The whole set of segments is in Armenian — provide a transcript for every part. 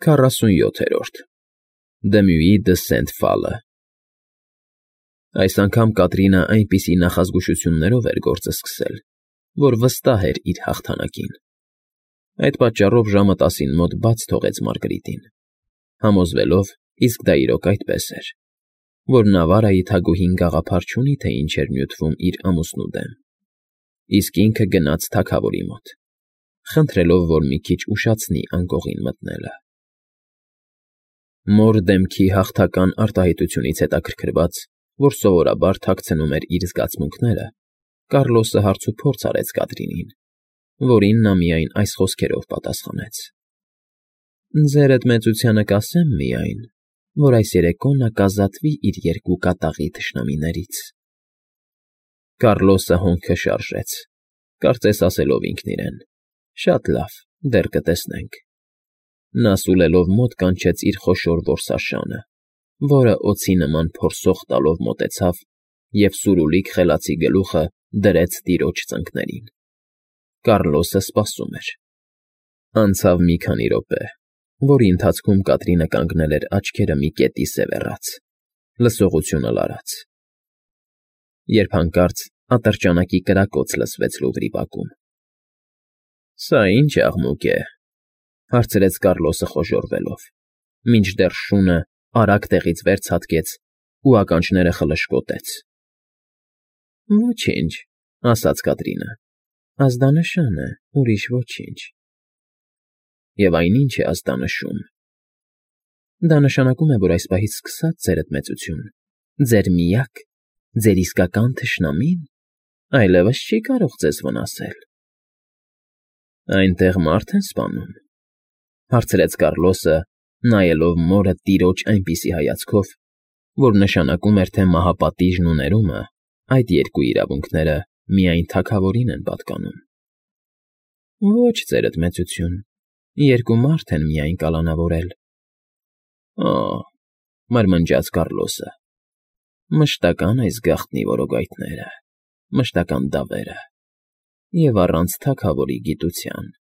47-րդ Դմյուի դը Սենթ֊Ֆալը Այս անգամ Կատրինը այնպիսի նախազգուշություններով էր գործը սկսել, որ վստահ էր իր հաղթանակին. այդ պատճառով ժամը 10-ին մոտ բաց թողեց Մարգարիտին, համոզվելով, իսկ դա իրոք այդպես էր, որ Նավարայի թագուհին գաղափար չունի, թե ինչ էր նյութվում իր ամուսնու դեմ, իսկ ինքը գնաց թագավորի մոտ, խնդրելով, որ մի քիչ ուշացնի անկողին մտնելը։ Մոր դեմքի հաղթական արտահայտությունից հետաքրքրված, որ սովորաբար թաքցնում էր իր զգացմունքները, Կառլոսը հարցուփորձ արեց Կատրինին, որին նա միայն այս խոսքերով պատասխանեց. «Ձերդ մեծությանը կասեմ միայն, որ այս երեկո նա կազատվի իր երկու կատաղի թշնամիներից»։ Կառլոսը հոնքը շարժեց, կարծես ասելով ինքն իրեն. «Շատ լավ, դեռ կտեսնենք»։ Նա սուլելով մոտ կանչեց իր խոշոր որսաշանը, որը օձի նման փորսող տալով մոտեցավ և սուրուլիկ խելացի գլուխը դրեց տիրոջ ծնկներին։ Կառլոսը սպասում էր։ Անցավ մի քանի րոպե, որի ընթացքում Կատրինը կանգնել էր աչքերը մի կետի սևեռած, լսողությունը լարած, երբ հանկարծ ատրճանակի կրակոց լսվեց լուդրի բակում։ «Սա ի՞նչ աղմուկ է», հարցրեց Կառլոսը խոժոռվելով, մինչդեռ շունը արագ տեղից վեր ցատկեց ու ականջները խլշկոտեց։ «Ոչինչ», ասաց Կատրինը, «ազդանշան է, ուրիշ ոչինչ»։ «Եվ այն ի՞նչ է ազդանշում»։ «Դա նշանակում է, որ այս պահից սկսած, ձերդ մեծություն, ձեր միակ, ձեր իսկական թշնամին այլևս չի կարող ձեզ վնասել»։ «Այնտեղ մարդ են սպանում», հարցրեց Կառլոսը, նայելով մորը տիրոջ այնպիսի հայացքով, որ նշանակում էր, թե մահապատիժն ու ներումը, այդ երկու իրավունքները միայն թագավորին են պատկանում։ «Ոչ, ձերդ մեծություն, երկու մարդ են միայն կալանավորել»։ «Օ՜», մրմնջաց Կառլոսը, «մշտական այս գաղտնի որոգայթները, մշտական դավերը, և առանց թագավորի գիտության։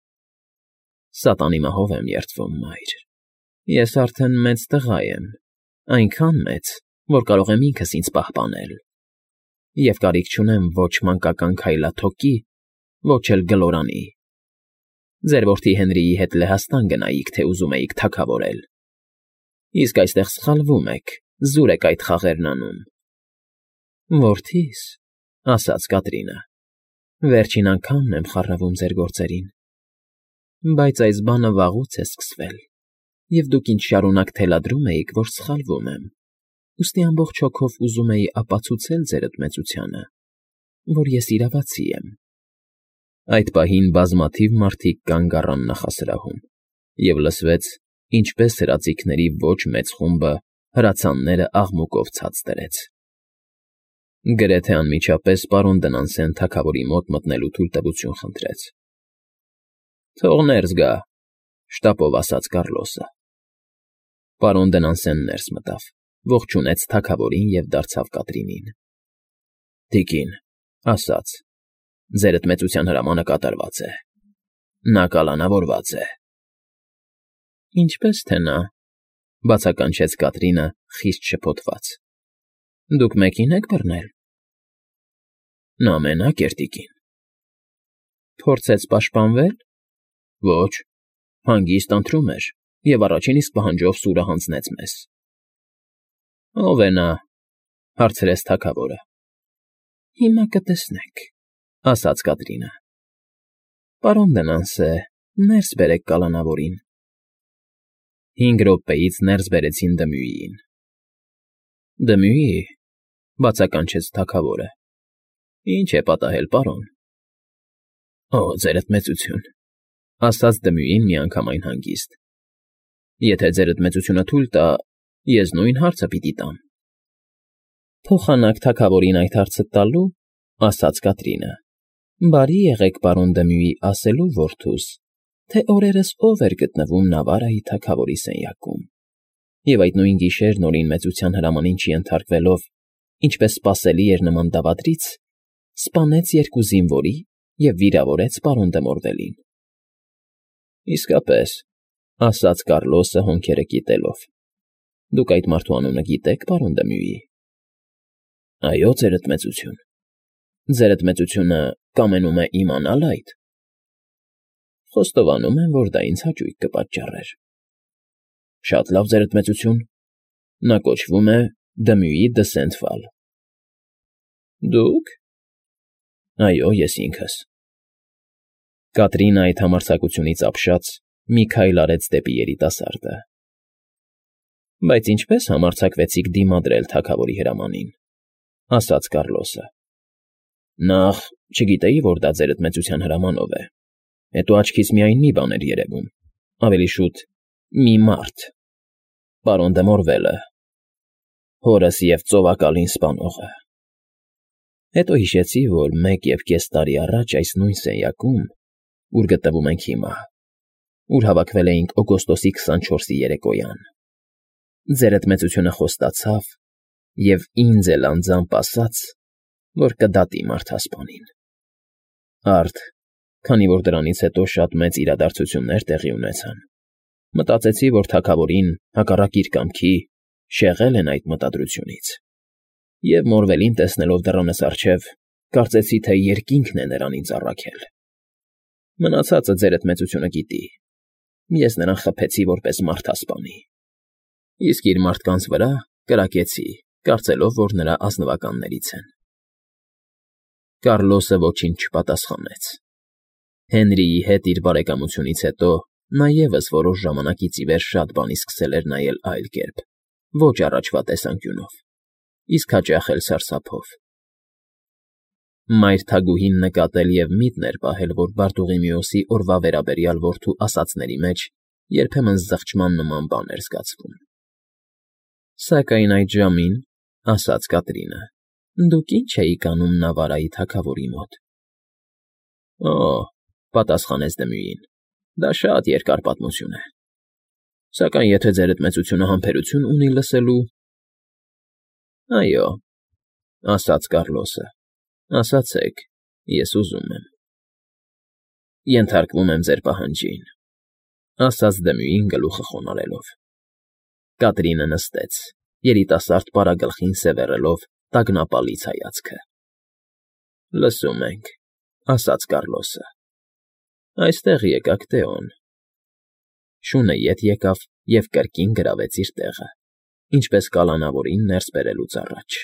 Սատանի մահով եմ երդվում, մայր, ես արդեն մեծ տղա եմ, այնքան մեծ, որ կարող եմ ինքս ինձ պահպանել, և կարիք չունեմ ոչ մանկական քայլաթոկի, ոչ էլ գլորանի։ Ձեր որդի Հենրիի հետ Լեհաստան գնայիք, թե ուզում էիք թագավորել։ Իսկ այստեղ սխալվում եք, զուր եք այդ խաղերն անում»։ «Որդի՛ս», ասաց Կատրինը, «վերջին անգամն եմ խառնվում ձեր գործերին։ Բայց այս բանը վաղուց է սկսվել, և դուք ինձ շարունակ թելադրում էիք, որ սխալվում եմ, ուստի ամբողջ հոգով ուզում էի ապացուցել ձերդ մեծությանը, որ ես իրավացի եմ»։ Այդ պահին բազմաթիվ մարդիկ կանգ առան նախասրահում, և լսվեց, ինչպես հրաձիգների ոչ մեծ խումբը հրացանները աղմուկով ցած դրեց։ Գրեթե անմիջապես պարոն Դնանսեն թագավորի մոտ մտնելու թույլտվություն խնդրեց։ «Թող ներս գա», շտապով ասաց Կառլոսը։ Պարոն Դնանսենն ներս մտավ, ողջունեց թագավորին և դարձավ Կատրինին։ «Տիկին», ասաց, «ձերդ մեծության հրամանը կատարված է։ Նա կալանավորված է»։ «Ինչպես թե նա», բացականչեց Կատրինը խիստ շփոթված։ «Դուք մեկին եք բռնել»։ «Նա մենակ էր, տիկին»։ «Փորձեց պաշտպանվե՞լ»։ «Ոչ, հանգիստ ընթրում էր և առաջին իսկ պահանջով սուրը հանձնեց մեզ»։ «Ո՞վ է նա», հարցրեց թագավորը։ «Հիմա կտեսնեք», ասաց Կատրինը։ «Պարոն Դնանսե, ներս բերեք կալանավորին»։ 5 րոպեից ներս բերեցին Դմյուիին։ «Դմյուի», բացականչեց թագավորը։ «Ինչ է պատահել, պարոն»։ «Օ, ձերդ մեծություն», ասաց Դմյուին միանգամայն հանգիստ։ «Եթե ձերդ մեծությունը թույլ տա, ես նույն հարցը պիտի տամ»։ «Փոխանակ թագավորին այդ հարցը տալու», ասաց Կատրինը, «բարի եղեք, պարոն Դմյուի, ասելու որդուս, թե օրերս ով էր գտնվում Նավարայի թագավորի սենյակում, և այդ նույն գիշեր Նորին մեծության հրամանին չենթարկվելով, ինչպես սպասելի էր նման դավադրից, սպանեց երկու զինվորի և վիրավորեց պարոն դե Մորվելին»։ «Իսկապես, ասաց Կառլոսը հոնքերը կիտելով։ Դուք այդ մարդու անունը գիտեք, պարոն Դմյուի։ Այո, ձերդ մեծություն։ Ձերդ մեծությունը կամենում է իմանալ այդ։ Խոստովանում եմ, որ դա ինձ հաճույք կպատճառեր։ Շատ լավ, ձերդ մեծություն։ Նա կոչվում է Դմյուի դը Սենթվալ։ Դուք։ Այո, ես ինքս։ Կատրինը այդ համարձակությունից ապշած մի քայլ արեց դեպի երիտասարդը։ Բայց ինչպես համարձակվեցիք դիմադրել թագավորի հրամանին, ասաց Կառլոսը։ Նախ չգիտեի, որ դա ձերդ մեծության հրամանով է։ Հետո աչքից միայն մի բան էր երևում, ավելի շուտ մի մարդ, պարոն դե Մորվելը, հորս և ծովակալին սպանողը։ Հետո հիշեցի, որ 1.5 տարի առաջ այս նույն սենյակում, ուր գտնվում ենք հիմա, ուր հավաքվել էինք օգոստոսի 24-ի երեկոյան, ձերդ մեծությունը խոստացավ և ինձ էլ անձամբ ասաց, որ կդատի մարդասպանին։ Արդ, քանի որ դրանից հետո շատ մեծ իրադարձություններ տեղի ունեցան, մտածեցի, որ թագավորին, հակառակ իր կամքի, շեղել են այդ մտադրությունից, և Մորվելին տեսնելով դռանս առջև, կարծեցի, թե երկինքն է նրան ինձ առաքել։ Մնացածը ձերդ մեծությունը գիտի։ Ես նրան խփեցի որպես մարդասպանի, իսկ իր մարդկանց վրա կրակեցի, կարծելով, որ նրա ազնվականներից են։ Կառլոսը ոչինչ չպատասխանեց։ Հենրիի հետ իր բարեկամությունից հետո նա ևս որոշ ժամանակից ի վեր շատ բանի սկսել էր նայել այլ կերպ, ոչ առաջվա տեսանկյունով, իսկ հաճախ էլ սարսափով։ Մայր թագուհին նկատել և միտն էր պահել, որ Բարտուղիմեոսի օրվա վերաբերյալ որդու ասածների մեջ երբեմն զղջման նման բան էր զգացվում։ Սակայն այդ ժամին, ասաց Կատրինը, դուք ինչ էիք անում Նավարայի թագավորի մոտ։ Օ, պատասխանեց Դմյուին, դա շատ երկար պատմություն է։ Սակայն եթե ձերդ մեծությունը համբերություն ունի լսելու… Այո, ասաց Կառլոսը, ասացեք, ես ուզում եմ։ Ենթարկվում եմ ձեր պահանջին, ասաց Դմյուին գլուխը խոնարհելով։ Կատրինը նստեց, երիտասարդ պարագլխին սևեռելով տագնապալից հայացքը։ Լսում ենք, ասաց Կառլոսը։ Այստեղ եկաք, Տեոն։ Շունը ետ եկավ և կրկին գրավեց իր տեղը, ինչպես կալանավորին ներս բերելուց առաջ։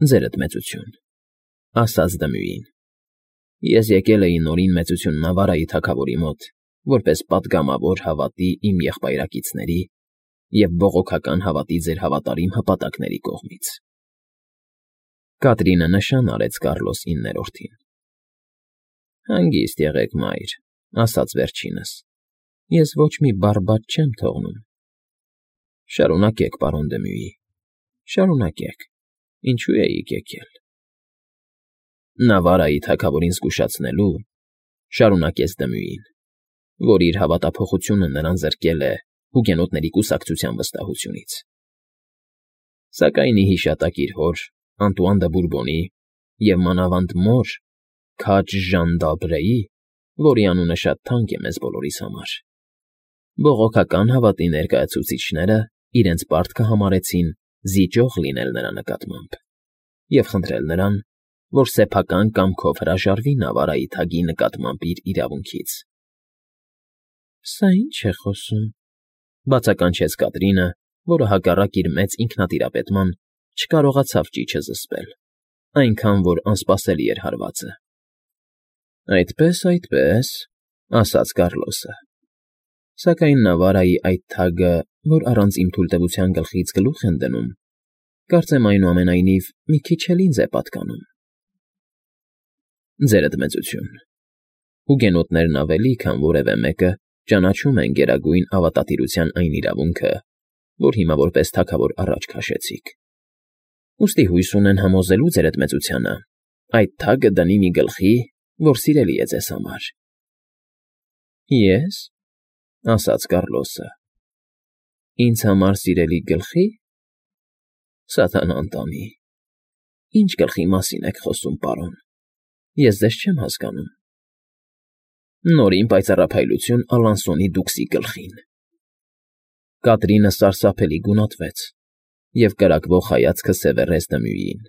Ձերդ մեծություն, ասաց Դմյուին, ես եկել էի նորին մեծություն Նավարայի թագավորի մոտ, որպես պատգամավոր հավատի իմ եղբայրակիցների և բողոքական հավատի ձեր հավատարիմ հպատակների կողմից։ Կատրինը նշան արեց Կառլոս 9-րդին։ Հանգիստ եղեք, մայր, ասաց վերջինս, ես ոչ մի բառ բաց չեմ թողնում։ Շարունակեք, պարոն Դմյուի, շարունակեք, ինչու էիք եկել։ Նավարայի թագավորին զգուշացնելու, շարունակեց Դմյուին, որ իր հավատափոխությունը նրան զրկել է հուգենոտների կուսակցության վստահությունից։ Սակայն ի հիշատակ իր հոր Անտուան դը Բուրբոնի և մանավանդ մոր քաջ Ժան դ'Ալբրեի, որի անունը շատ թանկ է մեզ բոլորիս համար, բողոքական հավատի ներկայացուցիչները իրենց պարտքը համարեցին զիջող լինել նրա նկատմամբ և խնդրել նրան, որ սեփական կամքով հրաժարվի Նավարայի թագի նկատմամբ իր իրավունքից։ Սա ի՞նչ է խոսում, բացականչեց Կատրինը, որը հակառակ իր մեծ ինքնատիրապետման չկարողացավ ճիչը զսպել, այնքան որ անսպասելի էր հարվածը։ Այդպես, ասաց Կառլոսը։ Սակայն Նավարայի այդ թագը, որ առանց իմ թույլտվության գլխից գլուխ են դնում, կարծեմ այնուամենայնիվ մի քիչ էլ ինձ է պատկանում։ Ձերդ մեծություն, հուգենոտներն ավելի, քան որևէ մեկը, ճանաչում են գերագույն ավատատիրության այն իրավունքը, որ հիմա որպես թագավոր առաջ քաշեցիք։ Ուստի հույս ունեն համոզելու ձերդ մեծությանը, այդ թագը դնի մի գլխի, որ սիրելի է ձեզ համար։ Ես, ասաց Կառլոսը, ինձ համար սիրելի գլխի… Սատանան տանի, ինչ գլխի մասին եք խոսում, պարոն, ես ձեզ չեմ հասկանում։ Նորին պայծառափայլություն Ալանսոնի դուքսի գլխին… Կատրինը սարսափելի գունատվեց և կրակվող հայացքը սևեռեց Դմյուին։